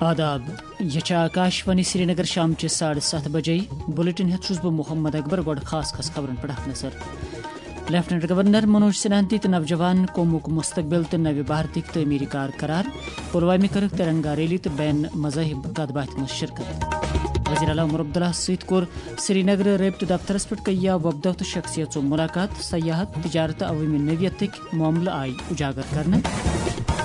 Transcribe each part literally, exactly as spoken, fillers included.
آداب، یہ چھا آکاش وانی سرینگر۔ شام چہ ساڑھے ستھ بجے۔ بلیٹن ہیتھ چھُس بہٕ محمد اکبر۔ گۄڈٕ خاص خاص خبرن پٮ۪ٹھ اکھ نظر۔ لیفٹیننٹ گورنر منوج سنہا دِتۍ نوجوان قومُک مستقبل تہٕ نوِ بھارتٕکۍ تعمیری کار قرار۔ پلوامہِ کٔرٕکھ ترنگا ریلی تہٕ بین مذاہب کتھ باتھِ منٛز شرکت۔ وزیر اعلیٰ عمر عبداللہ سۭتۍ کوٚر سرینگرٕ رٲبطہٕ دفترس پٮ۪ٹھ کیہ وۄپدو تہٕ شخصیژو ملاقات۔ سیاحت، تجارت تہٕ عوٲمی نوعیتٕکۍ معاملہٕ آیہِ اجاگر کرنہٕ۔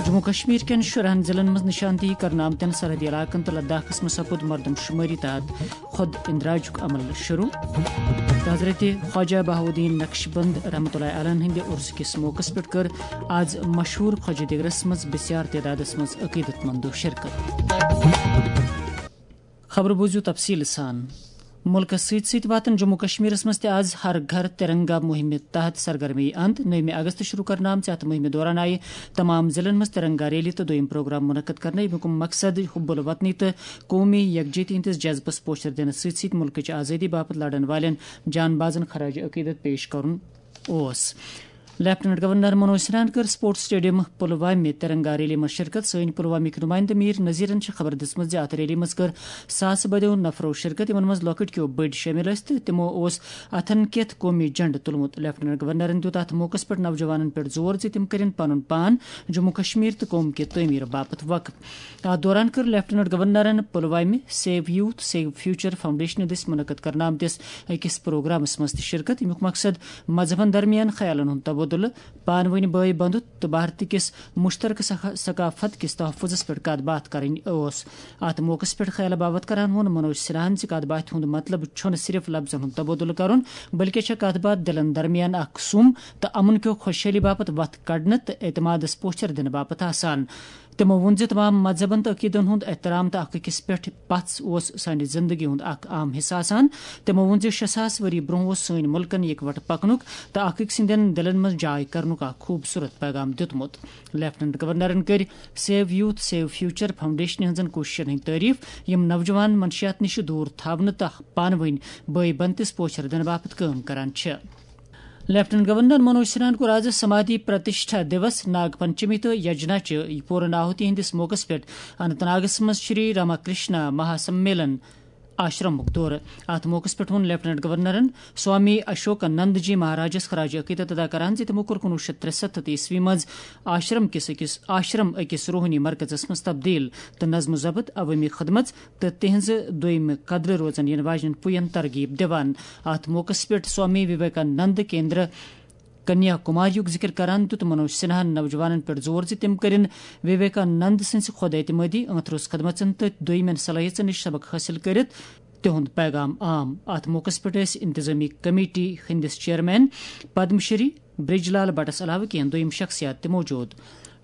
جموں کشمیر کٮ۪ن شُرہن ضلعن منٛز نشاندہی کرنہٕ آمتٮ۪ن سرحدی علاقن تہٕ لداخس منٛز سپُد مردم شمٲری تحت خود اندراجُک عمل شروع۔ تہٕ حضرت خواجہ بہاؤالدین نقشبند رحمتہ اللہ علیہ ہٕنٛدِ عرس کِس موقعس پٮ۪ٹھ کٔر آز مشہوٗر خواجہ دِگرس منٛز بسیار تعدادس منٛز عقیدت مندو شرکت۔ خبرٕ بوٗزِو تفصیٖل سان۔ مُلکَس سۭتۍ سۭتۍ واتَن جموں کشمیرَس منٛز تہِ آز ہر گھر ترنگا مُہِمہِ تحت سرگرمی اند۔ نٔومہِ اگست شروع کرنہٕ آمژِ اَتھ مُہِمہِ دوران آیہِ تمام ضلعن منٛز ترنگا ریلی تہٕ دوٚیِم پروگرام منعقد کرنہٕ، ییٚمیُک مقصد حب الوطنی تہٕ قومی یکجہتی ہٕنٛدِس جذبس پوچھر دِنہٕ سۭتۍ سۭتۍ مُلکٕچ آزٲدی باپتھ لڑن والٮ۪ن جان بازن خراج عقیدت پیش کرُن اوس۔ لیفٹیننٹ گورنر منوج سنہاہن کٔر سپورٹس سٹیڈیم پلوامہِ ترنگا ریلی منٛز شرکت۔ سٲنۍ پلوامِکۍ نمائندٕ میر نذیرن چھِ خبر دِژمٕژ زِ اتھ ریلی منٛز کٔر ساسہٕ بٔدیو نفرو شرکت، یِمن منٛز لۄکٕٹۍ کیو بٔڑۍ شٲمِل ٲسۍ تہٕ تِمو اوس اتھن کٮ۪تھ قومی جھنڈٕ تُلمُت۔ لیفٹیننٹ گورنرن دیُت اتھ موقعس پٮ۪ٹھ نوجوانن پٮ۪ٹھ زور زِ تِم کٔرِن پنُن پان جموں کشمیر تہٕ قوم کہِ تعمیٖر باپتھ وقف۔ اتھ دوران کٔر لیفٹیننٹ گورنرن پلوامہِ سیو یوتھ سیو فیوچر فاؤنڈیشنہٕ دٔسۍ منعقد کرنہٕ آمتِس أکِس پروگرامس منٛز تہِ شرکت، ییٚمیُک مقصد مذہبن درمیان خیالن ہُنٛد تبادلہٕ، پانہٕ ؤنۍ بٲے بندُت تہٕ بھارت کِس مشترکہٕ ثقا-، ثقافت کِس تحفظس پٮ۪ٹھ کتھ باتھ کرٕنۍ اوس۔ اتھ موقعس پٮ۪ٹھ خیال باوتھ کران ووٚن منوج سنہاہن زِ کتھ باتھِ ہُنٛد مطلب چھُنہٕ صرف لفظن ہُنٛد تبادلہٕ کرُن، بلکہِ چھےٚ کتھ باتھ دِلن درمیان اکھ سُم تہٕ امن کیو خۄشحٲلی باپتھ وتھ کڑنہٕ تہٕ اعتمادس پوچھر دِنہٕ باپتھ آسان۔ تِمو ووٚن زِ تمام مذہبن تہٕ عقیدن ہُنٛد احترام تہٕ اکھ أکِس پٮ۪ٹھ پژھ اوس سانہِ زندگی ہُنٛد اکھ اہم حصہٕ آسان۔ تِمو ووٚن زِ شےٚ ساس ؤری برونٛہہ اوس سٲنۍ مُلکن یکوٹہٕ پکنُک تہٕ اکھ أکۍ سٕنٛدٮ۪ن دِلن منٛز جاے کرنُک اکھ خوٗبصوٗرت پیغام دیُتمُت۔ لیفٹیننٹ گورنرن کٔرۍ سیو یوتھ سیو فیوچر فاؤنڈیشنہِ ہٕنٛزن کوٗششن ہٕنٛدۍ تعریف، یِم نوجوان منشیات نِش دوٗر تھاونہٕ تہٕ پانہٕ ؤنۍ بٲے بنتِس پوچھر دِنہٕ باپتھ کٲم کران چھِ۔ لیفٹیننٹ گورنر منوج سنہاہن کوٚر آز سمادھی پرتشٹھا دیوس، ناگ پنچمی تہٕ یجنا چہِ پوٗرن آہُتی ہٕنٛدِس موقعس پٮ۪ٹھ اننت ناگس منٛز شری راما کرشنا مہا سمیلن آشرمُک دورٕ۔ اتھ موقعس پٮ۪ٹھ ووٚن لیفٹیننٹ گورنرن سوامی اشوک نند جی مہاراجس خراج عقیدت ادا کران زِ تِمو کوٚر کُنوُہ شیٚتھ ترٛسَتتھ عیسوی منٛز آشرم کِس أکِس، آشرم أکِس روحٲنی مرکزس منٛز تبدیل تہٕ نظم و ضبط، عوٲمی خدمژ تہٕ تِہنٛزِ دوٚیمہِ قدرٕ روزن یِنہٕ واجنٮ۪ن پُین ترغیب دِوان۔ اتھ موقعس پٮ۪ٹھ سوامی وویکانند کیندرا کنیا کماری یُک ذکر کران دیُت منوج سنہاہن نوجوانن پٮ۪ٹھ زور زِ تِم کٔرِن وویکانند سٕنٛزِ خۄد اعتمٲدی، ٲنٛتھ روٚس خدمژن تہٕ دوٚیمٮ۪ن صلٲحیژن نِش سبق حٲصِل کٔرِتھ تِہُنٛد پیغام عام۔ اتھ موقعس پٮ۪ٹھ ٲسۍ انتظامی کمیٹی ہٕنٛدِس چیئرمین پدم شری برج لال بٹس علاوٕ کینٛہہ دوٚیِم شخصیات تہِ موجود۔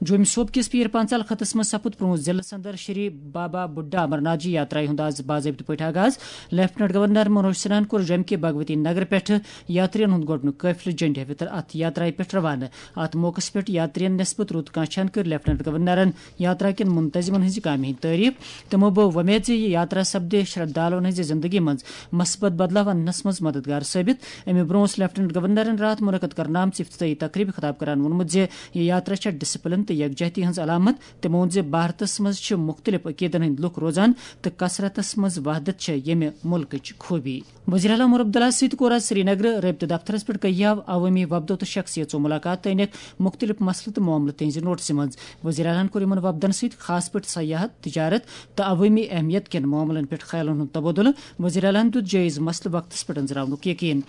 جوٚمۍ صوبہٕ کِس پیٖر پانٛژال خطس منٛز سپُد پرٛونٛہہ ضلعہٕ صدر شری بابا بُڈھا امرناتھ جی یاترایہِ ہُنٛد آز باضٲبطہٕ پٲٹھۍ آغاز۔ لیفٹیننٹ گورنر منوج سنہاہن کوٚر جوٚمہِ کہِ بھگوتی نگر پٮ۪ٹھٕ یاترین ہُنٛد گۄڈٕنیُک قٲفلہٕ جنڈِ ہیٚوِتھ اتھ یاترایہِ پٮ۪ٹھ روانہٕ۔ اتھ موقعس پٮ۪ٹھ یاترین نٮ۪صبہٕ رُت کانٛہہ چھان کٔر لیفٹیننٹ گورنرن یاترا کٮ۪ن منتظمن ہٕنٛزِ کامہِ ہٕنٛدۍ تعریف۔ تِمو بٲو وۄمید زِ یہِ یاترا سپدِ شردھالوٗہن ہٕنٛزِ زندگی منٛز مثبت بدلاو اننس منٛز مددگار ثٲبت۔ امہِ برونٛہہ اوس لیفٹیننٹ گورنرن راتھ منعقد کرنہٕ آمژِ افتتاحی تقریبہِ خطاب کران ووٚنمُت زِ یہِ یاترا چھےٚ ڈسپلن تہٕ یکجہتی ہٕنٛز علامت۔ تِمو ووٚن زِ بھارتس منٛز چھِ مُختٔلِف عقیدن ہٕنٛدۍ لُکھ روزان تہٕ کثرتس منٛز وحدت چھےٚ ییٚمہِ مُلکٕچ خوٗبی۔ وزیر اعلیٰ عمر عبداللہ سۭتۍ کوٚر آز سرینگرٕ رٲبطہٕ دفترس پٮ۪ٹھ کیاو عوٲمی وفدو تہٕ شخصیژو ملاقات تہٕ أنِکھ مُختٔلِف مسلہٕ تہٕ معاملہٕ تِہنٛزِ نوٹسہِ منٛز۔ وزیر اعلیٰ ہن کوٚر یِمن وفدن سۭتۍ خاص پٲٹھۍ سیاحت، تجارت تہٕ عوٲمی اہمیت کٮ۪ن معاملن پٮ۪ٹھ خیالن ہُنٛد تبادلہٕ۔ وزیر اعلیٰ ہن دیُت جٲیز مسلہٕ وقتس پٮ۪ٹھ أنٛزراونُک یقین۔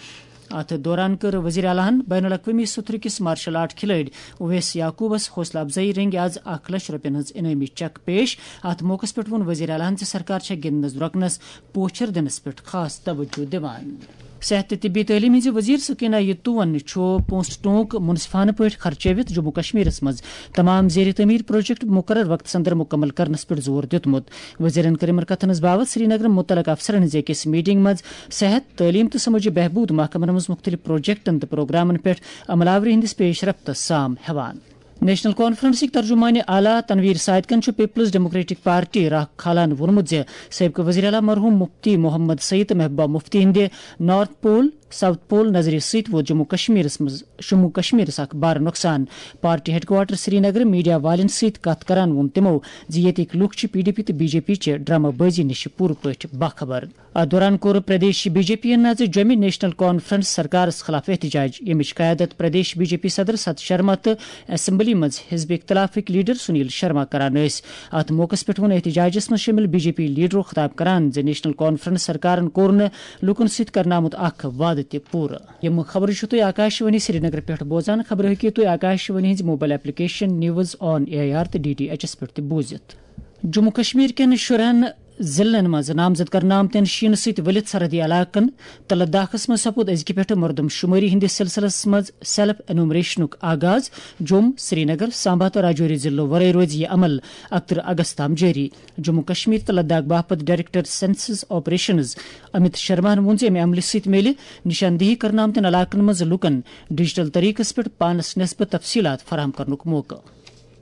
اتھ دوران کٔر وزیر اعلیٰ ہن بین الاقوٲمی سطحہٕ کِس مارشل آرٹ کھلٲڑۍ اویس یعقوبس حوصلہٕ افزٲیی رٔنگۍ آز اکھ لچھ رۄپین ہٕنٛز انعٲمی چیک پیش۔ اتھ موقعس پٮ۪ٹھ ووٚن وزیر اعلیٰ ہن زِ سرکار چھےٚ گِنٛدنس درۄکنس پوچھر دِنس پٮ۪ٹھ خاص توجہ دِوان۔ صحت تہٕ طبی تعلیٖم ہٕنٛزِ وزیر سکینہ یتوون چھُ پونٛسہٕ ٹونک منصفانہٕ پٲٹھۍ خرچٲوِتھ جموں کشمیرس منٛز تمام زیر تعمیٖر پروجیکٹ مقرر وقتس اندر مکمل کرنس پٮ۪ٹھ زور دیُتمُت۔ وزیرن کٔر یِمن کتھن ہٕنٛز باوتھ سرینگرٕ مُتعلقہٕ افسرن ہٕنٛزِ أکِس میٹنگ منٛز صحت، تعلیٖم تہٕ سمٲجی بہبود محکمن منٛز مُختٔلِف پروجیکٹن تہٕ پروگرامن پٮ۪ٹھ عمل آوری ہٕنٛدِس پیش رفتس سام ہٮ۪وان۔ نیشنل کانفرنسٕکۍ ترجمان اعلیٰ تنویر صادقن چھُ پیپلز ڈیموکریٹک پارٹی راہ کھالان ووٚنمُت زِ سٲبقہٕ وزیر اعلیٰ مرحوم مفتی محمد سعید تہٕ محبوبہ مفتی ہٕنٛدِ نارتھ پول، ساؤتھ پول نظرِ سۭتۍ ووت جموں کشمیرس منٛز، جموں کشمیرس اکھ بار نۄقصان۔ پارٹی ہیڈ کوارٹر سری نگر میڈیا والٮ۪ن سۭتۍ کتھ کران ووٚن تِمو زِ ییٚتِکۍ لوٗکھ چھِ پی ڈی پی تہٕ بی جے پی چہِ ڈرامہٕ بٲزی نِش پوٗرٕ پٲٹھۍ باخبر۔ اتھ دوران کوٚر پردیش بی جے پی یَن نَزِ جوٚمہِ نیشنل کانفرنس سرکارس خلاف احتجاج، ییٚمِچ قیادت پردیش بی جے پی صدر ست شرما تہٕ اسمبلی منٛز حزب اختلافٕکۍ لیڈر سنیل شرما کران ٲسۍ۔ اتھ موقعس پٮ۪ٹھ ووٚن احتجاجس منٛز شٲمِل بی جے پی لیڈرو خطاب کران زِ نیشنل کانفرنس سرکارن کوٚر نہٕ لوٗکن سۭتۍ کرنہٕ آمُت اکھ وعدٕ تہِ پوٗرٕ۔ یِم خبرٕ چھِو تُہۍ آکاشوانی سرینگر پٮ۪ٹھ بوزان۔ خبرٕ ہیٚکِو تُہۍ آکاشوانی ہٕنٛزِ mobile application news on A I R تہٕ ڈی ٹی ایچ ایس پٮ۪ٹھ تہِ بوٗزِتھ۔ جموں کشمیر کٮ۪ن شُرہن ضلعن منٛز نامزد کرنہٕ آمتٮ۪ن شیٖنہٕ سۭتۍ ؤلِتھ سرحدی علاقن تہٕ لداخس منٛز سپُد أزکہِ پٮ۪ٹھٕ مردم شمٲری ہٕنٛدِس سلسلس منٛز سیلف انومریشنُک آغاز۔ جوٚم، سرینگر، سامبا تہٕ راجوری ضلعو ورٲے روزِ یہِ عمل اکترٕہ اگست تام جٲری۔ جموں کشمیر تہٕ لداخ باپتھ ڈائریکٹر سینسس آپریشنز امت شرماہن ووٚن زِ امہِ عملہِ سۭتۍ میلہِ نشاندہی کرنہٕ آمتٮ۪ن علاقن منٛز لوٗکن ڈیجیٹل طریقس پٮ۪ٹھ پانس نسبت تفصیلات فراہم کرنُک موقعہٕ۔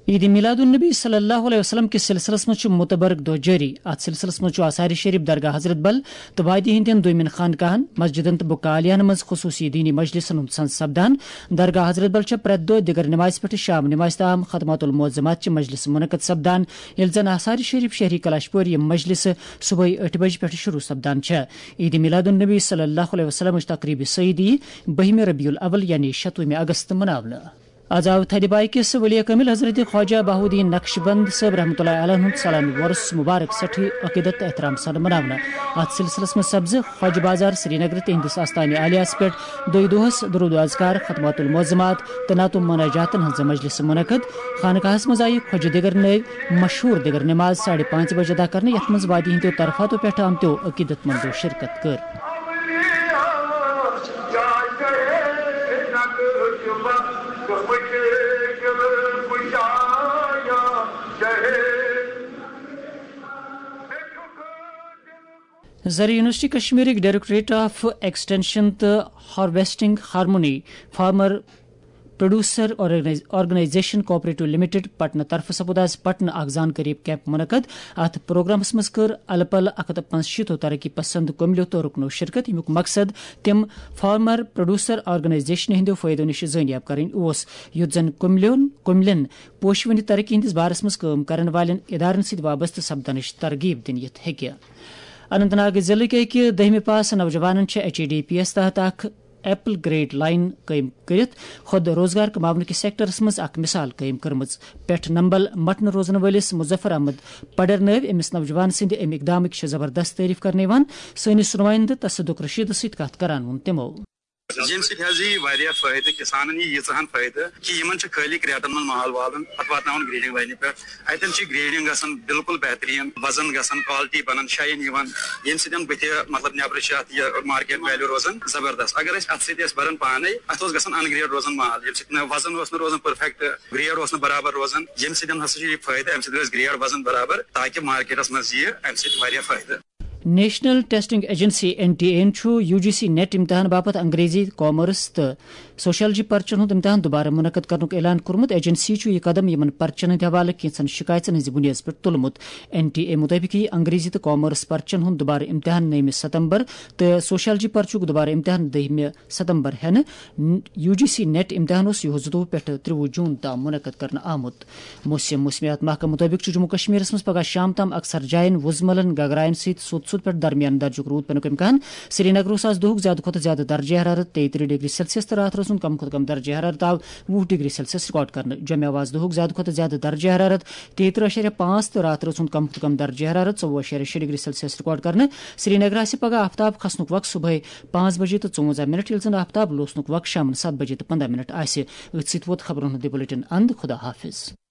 عید میلاد النبی صلی اللہ علیہ وسلم کِس سلسلس منٛز چھُ متبرک دۄہ جٲری۔ اتھ سلسلس منٛز چھُ آثار شریف، درگاہ حضرت بل تہٕ وادی ہٕنٛدٮ۪ن دویمٮ۪ن خانقاہن، مسجدن تہٕ بُکالیہن منٛز خصوصی دینی مجلسن ہُنٛد سنز سپدان۔ درگاہ حضرت بل چھےٚ پرٛٮ۪تھ دۄہ دِگر نمازِ پٮ۪ٹھٕ شام نمازِ تام ختمات المعظمات چہِ مجلسہٕ منعقد سپدان، ییٚلہِ زن آثار شریف شہری کلاش پورِ یِم مجلسہٕ صبحٲے ٲٹھِ بجہِ پٮ۪ٹھٕ شروع سپدان چھےٚ۔ عید میلاد النبی صلی اللہ علیہ وسلمٕچ تقریبِ سعید یی بٔہمہِ ربیع الاول یعنی شتوُہمہِ اگست مناونہٕ۔ از آو تھدِ بایہِ کِس ولی کامل حضرت خواجہ بہاؤالدین نقشبند صٲب رحمۃ اللہ علیہ ہُنٛد سالانہٕ وۄرُس مبارک سٮ۪ٹھٕے عقیدت تہٕ احترام سان مناونہٕ۔ اتھ سلسلس منٛز سپزٕ خواجہ بازار سرینگر تہنٛدِس آستانہِ عالیہس پٮ۪ٹھ دۄیہِ دۄہس درود و اذکار، ختمات المعظمات تہٕ نعت و مناجاتن ہٕنٛز مجلس منعقد۔ خانقاہس منٛز آیہِ خواجہ دِگر نٲوۍ مشہوٗر دِگر نماز ساڑِ پانٛژِ بجہِ ادا کرنہٕ، یتھ منٛز وادی ہٕنٛدیو طرفاتو پٮ۪ٹھٕ آمتیو عقیدت مندو شرکت کٔر۔ زرعی یونیورسٹی کشمیرٕکۍ ڈائریکٹوریٹ آف ایکسٹینشن تہٕ harvesting harmony farmer producer organise-, organisation cooperative limited Patna طرفہٕ سپُد آز پٹنہ اکھ زانکٲری کیمپ منعقد۔ اتھ پروگرامس منٛز کٔر الہٕ پلہٕ اکھ ہتھ تہٕ پانٛژشیٖتو ترقی پسند کملیو تہٕ رُکنو شرکت، ییٚمیُک مقصد تِم فارمر پروڈیوسر آرگنائزیشن ہٕنٛدیو فٲیدو نِش زٲنیاب کرٕنۍ اوس، یُتھ زن کملیون، کملین پوشوٕنہِ ترقی ہٕنٛدِس بارس منٛز کٲم کرن والٮ۪ن ادارن سۭتۍ وابستہٕ سپدنٕچ ترغیب دِنہٕ یِتھ ہیٚکہِ۔ اننت ناگ ضلعٕکۍ أکۍ دٔہمہِ پاس نوجوانن چھِ ایچ اے ڈی پی یَس تحت اکھ ایپل گریڈ لائن قٲیِم کٔرِتھ خود روزگار کماونہٕ کِس سیکٹرس منٛز اکھ مثال قٲیِم کٔرمٕژ۔ پٮ۪ٹھ نمبل مٹنہٕ روزن وٲلِس مظفر احمد پڈر نٲوۍ أمِس نوجوان سٕنٛدِ اَمہِ اقدامٕکۍ چھِ زبردست تعریف کرنہٕ یِوان۔ سٲنِس نُمٲیندٕ تصدق رشیدس سۭتۍ کتھ کران ووٚن تِمو۔ ییٚمہِ سۭتۍ حظ یی واریاہ فٲیدٕ، کِسانن یی ییٖژاہن فٲیدٕ کہِ یِمن چھِ خٲلی کریٹن منٛز مال والُن، پتہٕ واتناوُن گریڈنگ لاینہِ پٮ۪ٹھ۔ اتٮ۪ن چھِ گریڈنگ گژھان بالکل بہتریٖن، وزن گژھان، کوالٹی بنان، شاین یِوان، ییٚمہِ سۭتۍ بٕتھِ مطلب نٮ۪برٕ چھِ اتھ یہِ مارکیٹ ویلیو روزان زبردست۔ اگر أسۍ اتھ سۭتۍ ٲسۍ بران پانے، اتھ اوس گژھان ان گریڈ روزان مال، ییٚمہِ سۭتۍ نہٕ وزن اوس نہٕ روزان پٔرفیکٹ، گریڈ اوس نہٕ برابر روزان، ییٚمہِ سۭتۍ ہسا چھُ یہِ فٲیدٕ، امہِ سۭتۍ روزِ گریڈ وزن برابر تاکہِ مارکیٹس منٛز یِیہِ امہِ سۭتۍ واریاہ فٲیدٕ۔ National testing agency, N T A, یَن چھُ یو جی سی نیٹ امتحان باپتھ انگریزی، کامرس تہٕ سوشیالجی پرچن ہُنٛد امتحان دوبارٕ منعقد کرنُک اعلان کوٚرمُت۔ ایجنسی چھُ یہِ قدم یِمن پرچن ہٕنٛدِ حوالہٕ کینٛژن شکایژن ہٕنٛزِ بُنیٲدس پٮ۪ٹھ تُلمُت۔ این ٹی اے مُطٲبِق یِیہِ انگریزی تہٕ کامرس پرچن ہُنٛد دوبارٕ امتحان نٔومہِ ستمبر تہٕ سوشیالجی پرچُک دوبارٕ امتحان دٔہمہِ ستمبر ہٮ۪نہٕ۔ یو جی سی نیٹ امتحان اوس یِہُس زٕتووُہ پٮ۪ٹھ ترٛوُہ جون تام منعقد کرنہٕ آمُت۔ موسم، موسمیات محکمہٕ مُطٲبِق چھُ جموں کشمیرس منٛز پگہہ شام تام اکثر جاین وُزملن گگراین سۭتۍ سوٚت سوٚت پٮ۪ٹھ درمیان درجُک روٗد پینُک امکان۔ سرینگرس آز دۄہُک زیادٕ کھۄتہٕ زیادٕ درجہ حرارت تیٚیہِ ترٕٛہ ڈگری سیلسیس تہٕ راتھ رٲژ ہُنٛد کم کھۄتہٕ کم درجہ حرارت آو وُہ ڈگری سیلسیس ریکارڈ کرنہٕ۔ جوٚمہِ آو آز دۄہُک زیادٕ کھۄتہٕ زیادٕ درجہ حرارت تیٚیہِ ترٕٛہ اعشاریہ پانٛژھ تہٕ راتھ رٲژ ہُنٛد کم کھۄتہٕ کم درجہ حرارت ژوٚوُہ اعشاریہ شےٚ ڈگری سیلسیس ریکارڈ کرنہٕ۔ سرینگر آسہِ پگہہ آفتاب کھسنُک وقت صبحٲے پانٛژھ بجے تہٕ ژُوَنٛزاہ منٹ، ییٚلہِ زن آفتاب لوسنُک وقت شامن ستھ بجے تہٕ پنٛداہ منٹ آسہِ۔ أتھۍ سۭتۍ ووت خبرن ہُنٛد یہِ بلیٹن اند۔ خدا حافظ۔